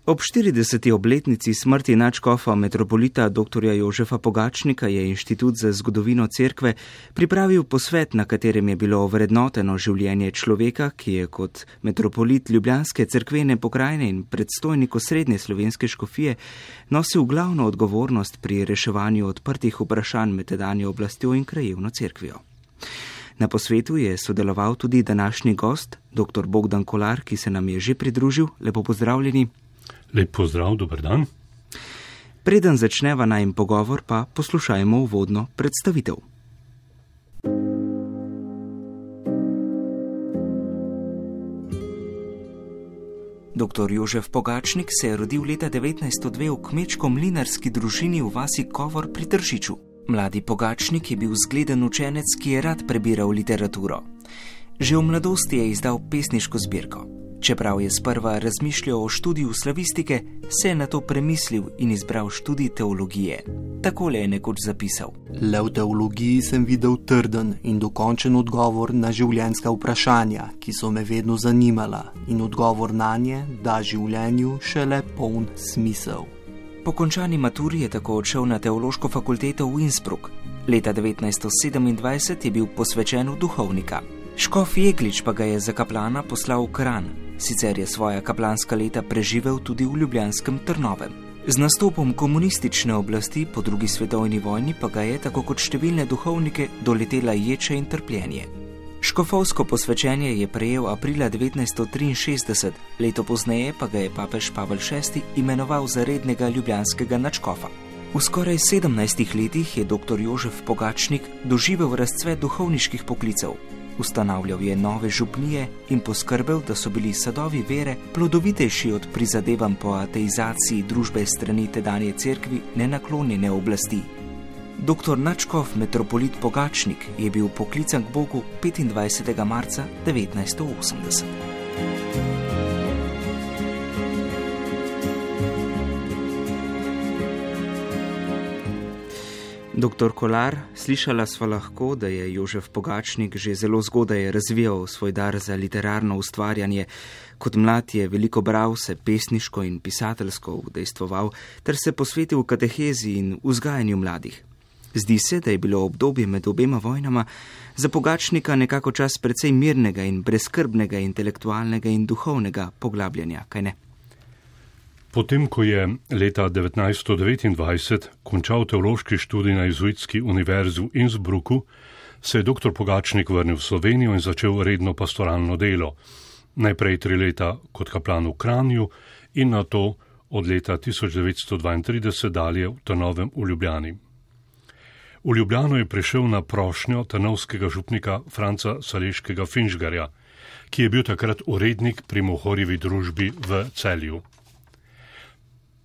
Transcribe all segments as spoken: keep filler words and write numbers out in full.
Ob štirideseti obletnici smrti nadškofa metropolita dr. Jožefa Pogačnika je Inštitut za zgodovino cerkve pripravil posvet, na katerem je bilo ovrednoteno življenje človeka, ki je kot metropolit Ljubljanske cerkvene pokrajine in predstojnik osrednje slovenske škofije nosil glavno odgovornost pri reševanju odprtih vprašanj med tedanjo oblastjo in krajevno cerkvijo. Na posvetu je sodeloval tudi današnji gost, dr. Bogdan Kolar, ki se nam je že pridružil. Lepo pozdravljeni. Lep pozdrav, dober dan. Preden začneva najin pogovor, pa poslušajmo uvodno predstavitev. Doktor Jožef Pogačnik se je rodil leta devetnajststo dve v kmečko-mlinarski družini v vasi Kovor pri Tržiču. Mladi Pogačnik je bil zgleden učenec, ki je rad prebiral literaturo. Že v mladosti je izdal pesniško zbirko. Čeprav je sprva razmišljal o študiju slavistike, se je nato premislil in izbral študij teologije. Takole je nekoč zapisal. Le v teologiji sem videl trden in dokončen odgovor na življenjska vprašanja, ki so me vedno zanimala, in odgovor nanje da življenju šele poln smisel. Po končani maturi je tako odšel na teološko fakulteto v Innsbruck. Leta devetnajststo sedemindvajset je bil posvečen v duhovnika. Škof Jeglič pa ga je za kaplana poslal v Kranj. Sicer je svoja kaplanska leta preživel tudi v ljubljanskem Trnovem. Z nastopom komunistične oblasti po drugi svetovni vojni pa ga je, tako kot številne duhovnike, doletela ječa in trpljenje. Škofovsko posvečenje je prejel aprila devetnajststo triinšestdeset, leto pozneje pa ga je papež Pavel šesti imenoval za rednega ljubljanskega nadškofa. V skoraj sedemnajstih letih je dr. Jožef Pogačnik doživel razcvet duhovniških poklicev. Ustanavljal je nove župnije in poskrbel, da so bili sadovi vere plodovitejši od prizadevanj po ateizaciji družbe strani tedanje cerkvi nenaklonjene oblasti. Doktor nadškof metropolit Pogačnik je bil poklican k Bogu petindvajsetega marca devetnajststo osemdeset. Doktor Kolar, slišala sva lahko, da je Jožef Pogačnik že zelo zgodaj razvijal svoj dar za literarno ustvarjanje. Kot mlad je veliko bral, se pesniško in pisateljsko udejstvoval ter se posvetil katehezi in vzgajanju mladih. Zdi se, da je bilo obdobje med obema vojnama za Pogačnika nekako čas precej mirnega in brezskrbnega intelektualnega in duhovnega poglabljanja, kaj ne? Potem, ko je leta devetnajststo devetindvajset končal teološki študij na Jezuitski univerzi v Innsbrucku, se je dr. Pogačnik vrnil v Slovenijo in začel redno pastoralno delo. Najprej tri leta kot kaplan v Kranju in nato od leta tisoč devetsto dvaintrideset dalje v Trnovem v Ljubljani. V Ljubljano je prišel na prošnjo trnovskega župnika Franca Saleškega Finžgarja, ki je bil takrat urednik pri Mohorjevi družbi v Celju.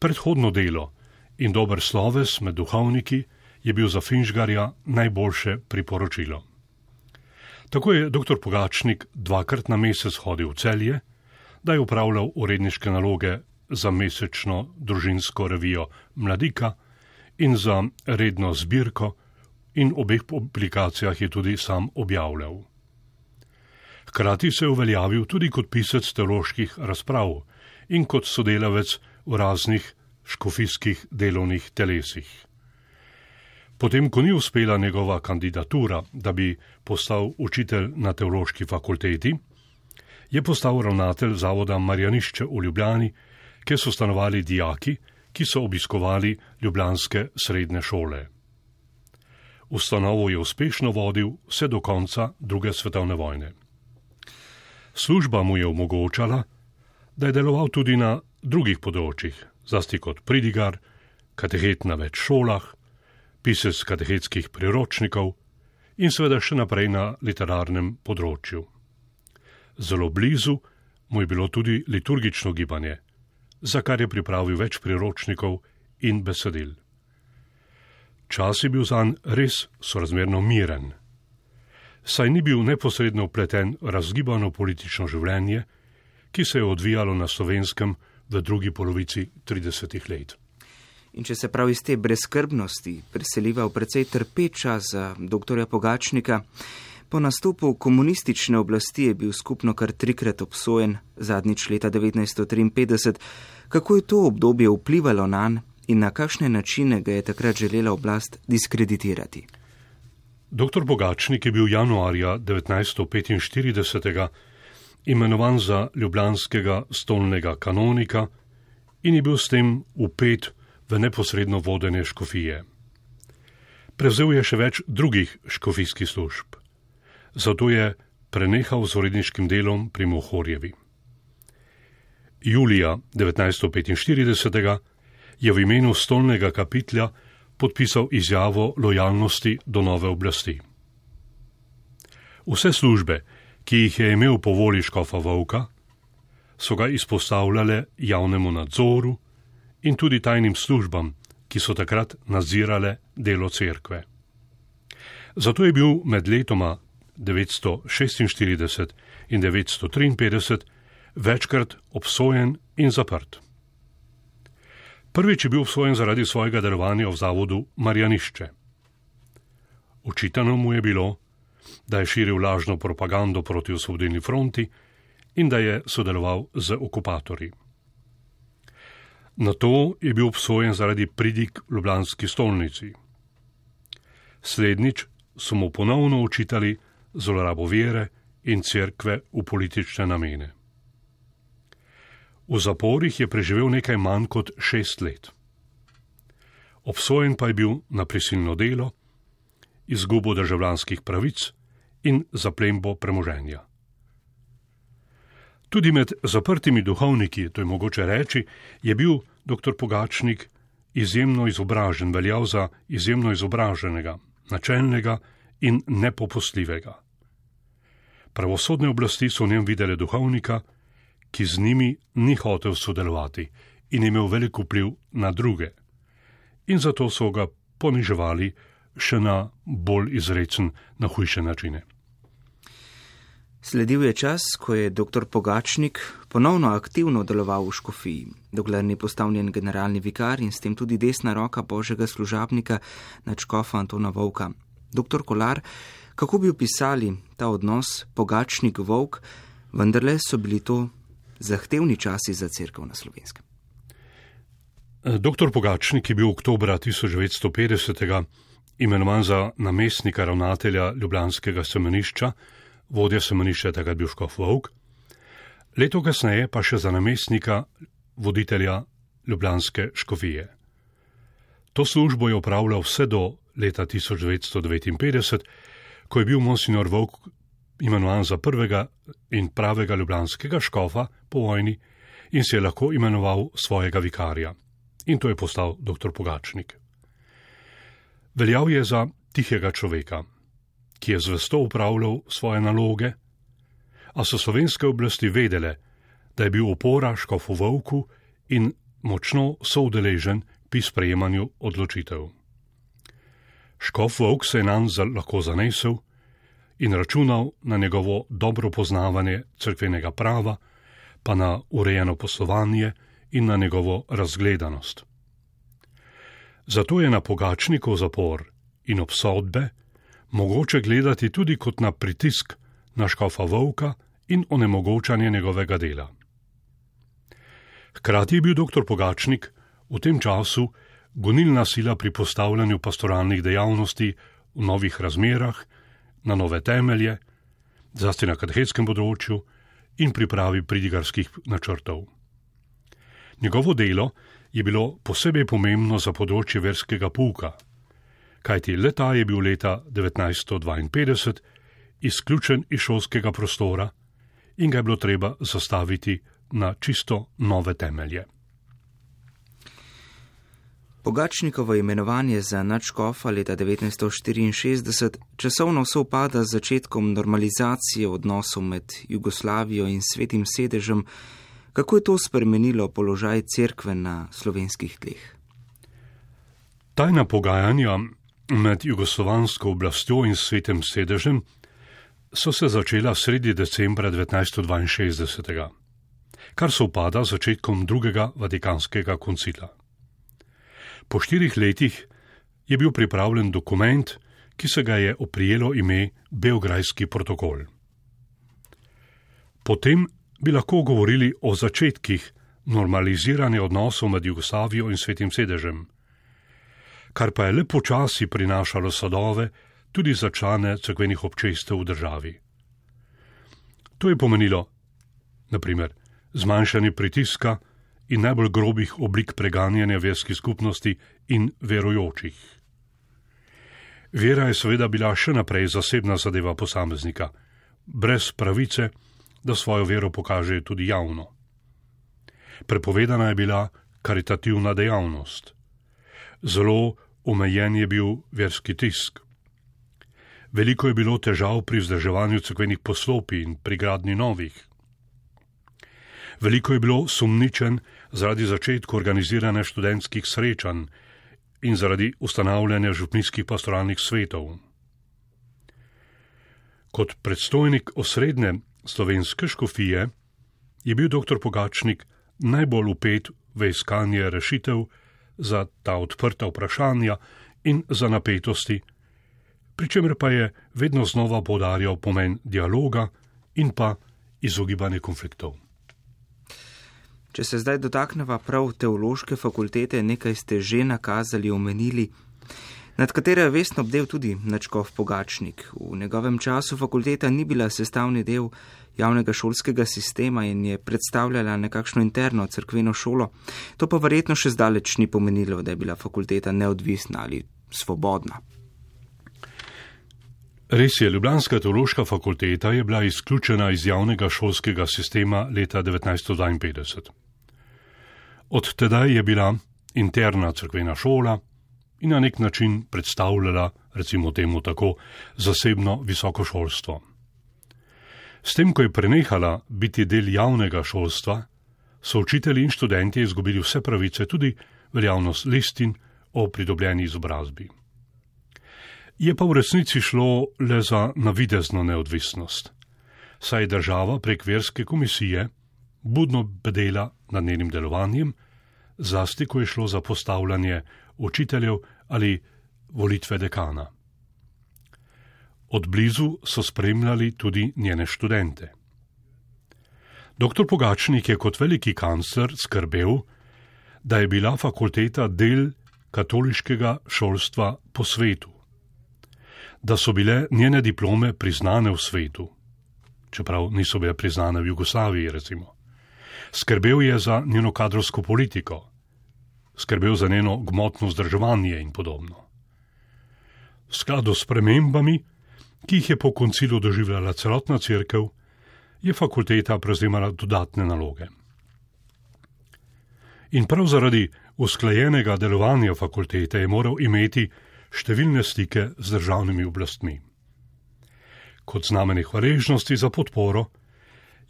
Predhodno delo in dober sloves med duhovniki je bil za Finžgarja najboljše priporočilo. Tako je dr. Pogačnik dvakrat na mesec hodil v Celje, da je upravljal uredniške naloge za mesečno družinsko revijo Mladika in za redno zbirko, in v obeh publikacijah je tudi sam objavljal. Hkrati se je uveljavil tudi kot pisec teoloških razprav in kot sodelavec v raznih škofijskih delovnih telesih. Potem, ko ni uspela njegova kandidatura, da bi postal učitelj na teološki fakulteti, je postal ravnatelj zavoda Marjanišče v Ljubljani, kjer so stanovali dijaki, ki so obiskovali ljubljanske srednje šole. Ustanovo je uspešno vodil vse do konca druge svetovne vojne. Služba mu je omogočala, da je deloval tudi na drugih področjih, zlasti kot pridigar, katehet na več šolah, pisec katehetskih priročnikov in seveda še naprej na literarnem področju. Zelo blizu mu je bilo tudi liturgično gibanje, za kar je pripravil več priročnikov in besedil. Čas je bil zanj res sorazmerno miren, saj ni bil neposredno vpleten v razgibano politično življenje, ki se je odvijalo na Slovenskem v drugi polovici tridesetih let. In če se prav iz te brezskrbnosti preseliva v precej trpeča za doktorja Pogačnika, po nastopu komunistične oblasti je bil skupno kar trikrat obsojen, zadnjič leta devetnajststo triinpetdeset, Kako je to obdobje vplivalo nanj in na kakšne načine ga je takrat želela oblast diskreditirati? Doktor Pogačnik je bil januarja devetnajststo petinštirideset imenovan za ljubljanskega stolnega kanonika in je bil s tem vpet v neposredno vodenje škofije. Prevzel je še več drugih škofijskih služb, zato je prenehal z uredniškim delom pri Mohorjevi. Julija devetnajststo petinštirideset je v imenu stolnega kapitlja podpisal izjavo lojalnosti do nove oblasti. Vse službe, ki jih je imel po volji škofa Vovka, so ga izpostavljale javnemu nadzoru in tudi tajnim službam, ki so takrat nadzirale delo cerkve. Zato je bil med letoma devetsto šestinštirideset in devetsto triinpetdeset večkrat obsojen in zaprt. Prvič je bil obsojen zaradi svojega delovanja v zavodu Marjanišče. Očitano mu je bilo, da je širil lažno propagando proti Osvobodilni fronti in da je sodeloval z okupatorji. Nato je bil obsojen zaradi pridig v ljubljanski stolnici. Slednjič so mu ponovno očitali zlorabo vere in cerkve v politične namene. V zaporih je preživel nekaj manj kot šest let. Obsojen pa je bil na prisilno delo, izgubo državljanskih pravic in zaplembo premoženja. Tudi med zaprtimi duhovniki, to je mogoče reči, je bil doktor Pogačnik izjemno izobražen, veljal za izjemno izobraženega, načelnega in nepopustljivega. Pravosodne oblasti so v njem videle duhovnika, ki z njimi ni hotel sodelovati in imel velik vpliv na druge. In zato so ga poniževali še na bolj izrecen, na hujše načine. Sledil je čas, ko je doktor Pogačnik ponovno aktivno deloval v škofiji, dokler ni postal njen generalni vikar in s tem tudi desna roka božjega služabnika nadškofa Antona Vovka. Doktor Kolar, kako bi opisali ta odnos Pogačnik-Vovk, vendarle so bili to zahtevni časi za cerkev na Slovenskem? Doktor Pogačnik je bil oktobra tisoč devetsto petdeset imenovan za namestnika ravnatelja ljubljanskega semenišča, vodja semenišča takrat bil škof Vovk, leto kasneje pa še za namestnika voditelja ljubljanske škofije. To službo je opravljal vse do leta tisoč devetsto devetinpetdeset, ko je bil monsignor Vovk imenovan za prvega in pravega ljubljanskega škofa po vojni in si je lahko imenoval svojega vikarja. In to je postal doktor Pogačnik. Veljal je za tihega človeka, ki je zvesto upravljal svoje naloge, a so slovenske oblasti vedele, da je bil opora škofu Vovku in močno soudeležen pri sprejemanju odločitev. Škof Vovk se je nanj lahko zanesel in računal na njegovo dobro poznavanje cerkvenega prava, pa na urejeno poslovanje in na njegovo razgledanost. Zato je na Pogačnikov zapor in obsodbe mogoče gledati tudi kot na pritisk na škofa Vovka in onemogočanje njegovega dela. Hkrati je bil doktor Pogačnik v tem času gonilna sila pri postavljanju pastoralnih dejavnosti v novih razmerah, na nove temelje, zlasti na katehetskem področju in pripravi pridigarskih načrtov. Njegovo delo je bilo posebej pomembno za področje verskega pouka, kajti le-ta je bil leta devetnajststo dvainpetdeset izključen iz šolskega prostora in ga je bilo treba zastaviti na čisto nove temelje. Pogačnikovo imenovanje za nadškofa leta devetnajststo štiriinšestdeset časovno sovpada z začetkom normalizacije odnosov med Jugoslavijo in Svetim sedežem. Kako je to spremenilo položaj cerkve na slovenskih tleh? Tajna pogajanja med jugoslovansko oblastjo in Svetim sedežem so se začela sredi decembra devetnajststo dvainšestdeset, kar sovpada z začetkom drugega vatikanskega koncila. Po štirih letih je bil pripravljen dokument, ki se ga je oprijelo ime Beograjski protokol. Potem bi lahko govorili o začetkih normaliziranje odnosov med Jugoslavijo in Svetim sedežem, kar pa je le počasi prinašalo sadove tudi za člane cerkvenih občestev v državi. To je pomenilo, na primer, zmanjšanje pritiska in najbolj grobih oblik preganjanja verskih skupnosti in verujočih. Vera je seveda bila še naprej zasebna zadeva posameznika, brez pravice, da svojo vero pokaže tudi javno. Prepovedana je bila karitativna dejavnost. Zelo omejen je bil verski tisk. Veliko je bilo težav pri vzdrževanju cerkvenih poslopij in pri gradnji novih. Veliko je bilo sumničen zaradi začetka organiziranja študentskih srečanj in zaradi ustanavljanja župnijskih pastoralnih svetov. Kot predstojnik osrednje slovenske škofije je bil doktor Pogačnik najbolj vpet v iskanje rešitev za ta odprta vprašanja in za napetosti, pri čemer pa je vedno znova poudarjal pomen dialoga in pa izogibanje konfliktov. Če se zdaj dotakneva prav teološke fakultete, nekaj ste že nakazali, omenili, nad katero je vestno bdel tudi nadškof Pogačnik. V njegovem času fakulteta ni bila sestavni del javnega šolskega sistema in je predstavljala nekakšno interno cerkveno šolo. To pa verjetno še zdaleč ni pomenilo, da je bila fakulteta neodvisna ali svobodna. Res je, ljubljanska teološka fakulteta je bila izključena iz javnega šolskega sistema leta devetnajststo dvainpetdeset. Od tedaj je bila interna cerkvena šola in na nek način predstavljala, recimo temu tako, zasebno visoko šolstvo. S tem, ko je prenehala biti del javnega šolstva, so učitelji in študenti izgubili vse pravice, tudi veljavnost listin o pridobljeni izobrazbi. Je pa v resnici šlo le za navidezno neodvisnost, saj je država prek verske komisije budno bedela nad njenim delovanjem, zlasti ko je šlo za postavljanje učiteljev ali volitve dekana. Od blizu so spremljali tudi njene študente. Doktor Pogačnik je kot veliki kancler skrbel, da je bila fakulteta del katoliškega šolstva po svetu, da so bile njene diplome priznane v svetu, čeprav niso bile priznane v Jugoslaviji, recimo. Skrbel je za njeno kadrovsko politiko, skrbel za njeno gmotno vzdrževanje in podobno. V skladu s spremembami, ki jih je po koncilu doživljala celotna cerkev, je fakulteta prevzemala dodatne naloge. In prav zaradi usklajenega delovanja fakultete je moral imeti številne stike z državnimi oblastmi. Kot znamenje hvaležnosti za podporo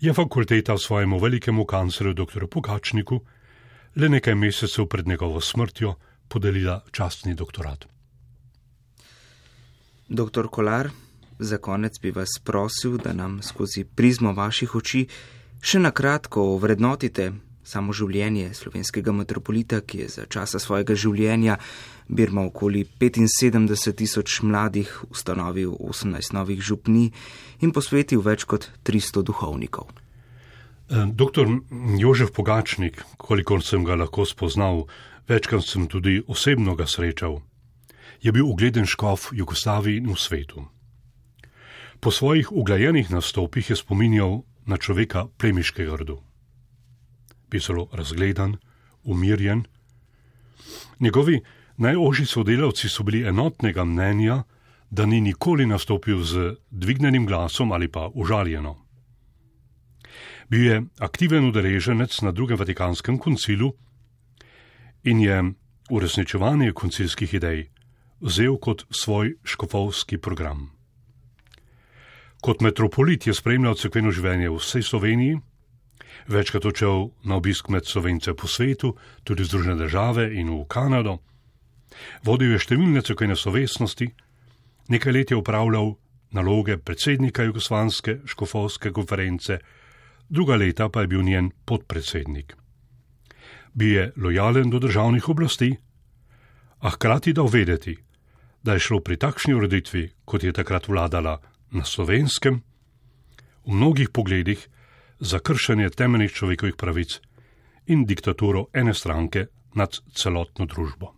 je fakulteta svojemu velikemu kanclerju dr. Pogačniku le nekaj mesecev pred njegovo smrtjo podelila častni doktorat. Doktor Kolar, za konec bi vas prosil, da nam skozi prizmo vaših oči še na kratko ovrednotite samo življenje slovenskega metropolita, ki je za časa svojega življenja birmal okoli petinsedemdeset tisoč mladih, ustanovil osemnajst novih župnij in posvetil več kot tristo duhovnikov. Doktor Jožef Pogačnik, kolikor sem ga lahko spoznal, večkrat sem tudi osebno ga srečal, je bil ugleden škof v Jugoslaviji in v svetu. Po svojih uglajenih nastopih je spominjal na človeka plemiškega rodu. Bil zelo razgledan, umirjen. Njegovi najožji sodelavci so bili enotnega mnenja, da ni nikoli nastopil z dvignenim glasom ali pa užaljeno. Bil je aktiven udeleženec na drugem Vatikanskem koncilu in je uresničevanje koncilskih idej vzel kot svoj škofovski program. Kot metropolit je spremljal cerkveno življenje v vsej Sloveniji, večkrat odšel na obisk med Slovence po svetu, tudi v Združene države in v Kanado. Vodil je številne cerkvene slovesnosti, nekaj let je upravljal naloge predsednika Jugoslovanske škofovske konference, druga leta pa je bil njen podpredsednik. Bil je lojalen do državnih oblasti, a hkrati dal vedeti, da je šlo pri takšni ureditvi, kot je takrat vladala na Slovenskem, v mnogih pogledih za kršenje temeljnih človekovih pravic in diktaturo ene stranke nad celotno družbo.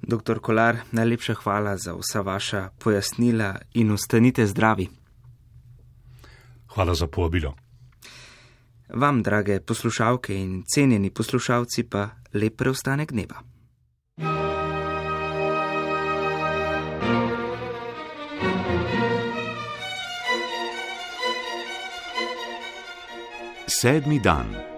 Doktor Kolar, najlepša hvala za vsa vaša pojasnila in ostanite zdravi. Hvala za povabilo. Vam, drage poslušalke in cenjeni poslušalci, pa lep preostanek dneva. Sedmi dan.